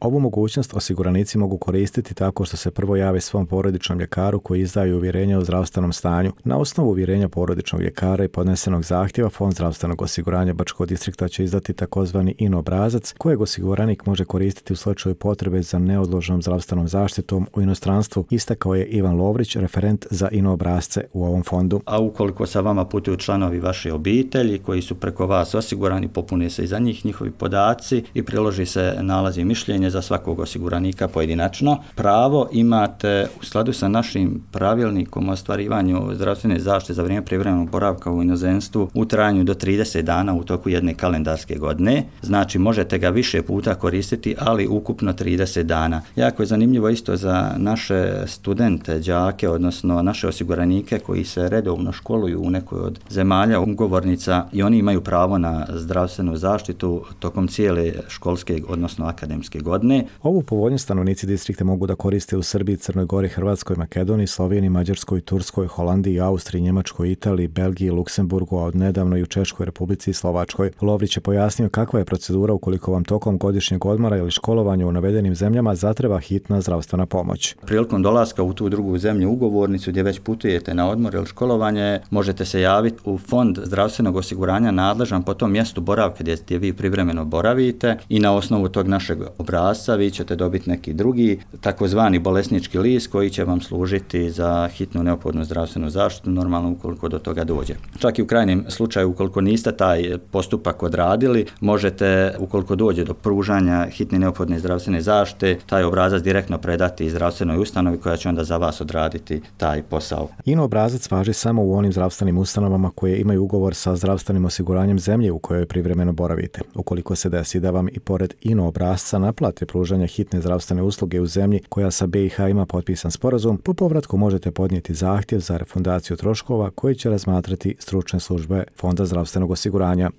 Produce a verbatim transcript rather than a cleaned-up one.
Ovu mogućnost osiguranici mogu koristiti tako što se prvo jave svom porodičnom ljekaru koji izdaju uvjerenje o zdravstvenom stanju. Na osnovu uvjerenja porodičnog ljekara i podnesenog zahtjeva Fond zdravstvenog osiguranja Bačkog distrikta će izdati takozvani I N obrazac kojeg osiguranik može koristiti u slučaju potrebe za neodloženom zdravstvenom zaštitom u inostranstvu, istakao je Ivan Lovrić, referent za I N obrazce u ovom fondu. A ukoliko sa vama putuju članovi vaše obitelji koji su preko vas osigurani, popune se i za njih njihovi podaci i priloži se nalaz i mišljenje za svakog osiguranika pojedinačno. Pravo imate u skladu sa našim pravilnikom o ostvarivanju zdravstvene zaštite za vrijeme privremenog boravka u inozemstvu u trajanju do trideset dana u toku jedne kalendarske godine. Znači možete ga više puta koristiti, ali ukupno trideset dana. Jako je zanimljivo isto za naše studente, đake, odnosno naše osiguranike koji se redovno školuju u nekoj od zemalja ugovornica i oni imaju pravo na zdravstvenu zaštitu tokom cijele školske, odnosno akademske godine. Ovu povoljnost stanovnici distrikta mogu da koriste u Srbiji, Crnoj Gori, Hrvatskoj, Makedoniji, Sloveniji, Mađarskoj, Turskoj, Holandiji, Austriji, Njemačkoj, Italiji, Belgiji, Luksemburgu, a od nedavno i u Češkoj Republici i Slovačkoj. Lovrić je pojasnio kakva je procedura ukoliko vam tokom godišnjeg odmora ili školovanja u navedenim zemljama zatreba hitna zdravstvena pomoć. Prilikom dolaska u tu drugu zemlju ugovornicu gdje već putujete na odmor ili školovanje, možete se javiti u Fond zdravstvenog osiguranja nadležan po tom mjestu boravka gdje, gdje vi privremeno boravite i na osnovu tog našeg obrasca vi ćete dobiti neki drugi takozvani bolesnički list koji će vam služiti za hitnu neophodnu zdravstvenu zaštitu, normalno ukoliko do toga dođe. Čak i u krajnjem slučaju ukoliko niste taj postupak odradili, možete ukoliko dođe do pružanja hitne neophodne zdravstvene zaštite, taj obrazac direktno predati zdravstvenoj ustanovi koja će onda za vas odraditi taj posao. I N obrazac važi samo u onim zdravstvenim ustanovama koje imaju ugovor sa zdravstvenim osiguranjem zemlje u kojoj privremeno boravite. Ukoliko se desi da vam i pored I N obrasca naplate pružanje hitne zdravstvene usluge u zemlji koja sa B i H ima potpisan sporazum, po povratku možete podnijeti zahtjev za refundaciju troškova koji će razmatrati stručne službe Fonda zdravstvenog osiguranja.